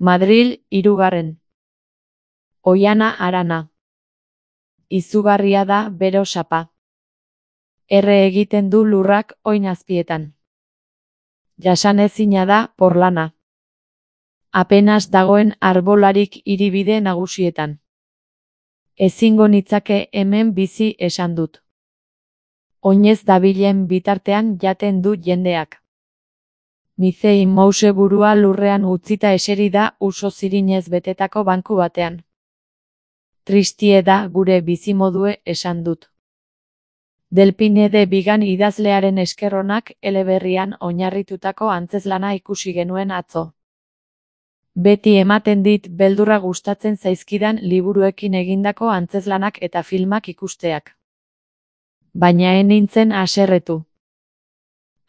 Madril, 3. Oiana Arana. Izugarria da bero sapa. Erre egiten du lurrak oin azpietan. Jasanezina da porlana. Apenas dagoen arbolarik hiribide nagusietan. Ezingo nitzake hemen bizi esan dut. Oinez dabilen bitartean jaten du jendeak. Mizei Mouse burua lurrean utzita eseri da uso zirinez betetako banku batean. Tristie da gure bizimodue esan dut. Delpine de Bigan idazlearen eskerronak eleberrian oinarritutako antzezlana ikusi genuen atzo. Beti ematen dit beldurra gustatzen zaizkidan liburuekin egindako antzezlanak eta filmak ikusteak. Baina ez nintzen haserretu.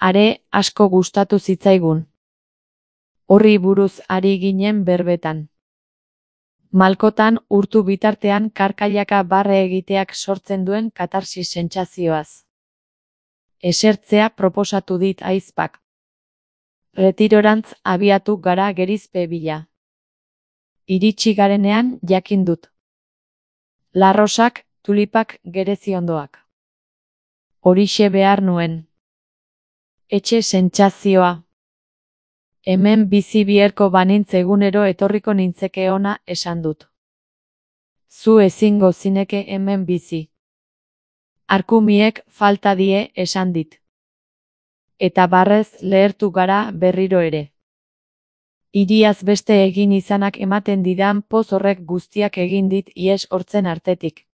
Are asko gustatu zitzaigun. Horri buruz ari ginen berbetan. Malkotan urtu bitartean karkailaka barre egiteak sortzen duen katarsis sentsazioaz. Esertzea proposatu dit ahizpak. Retirorantz abiatu gara gerizpe bila. Iritsi garenean jakin dut. Larrosak, tulipak gereziondoak. Horixe behar nuen. Etxe sentsazioa. Hemen bizi bierko banintz egunero etorriko nintzeke ona esan dut. Zu ezingo zineke hemen bizi. Arkumiek falta die esan dit. Eta barrez lehertu gara berriro ere. Hiriaz beste egin izanak ematen didan poz horrek guztiak egin dit ihes hortzen artetik.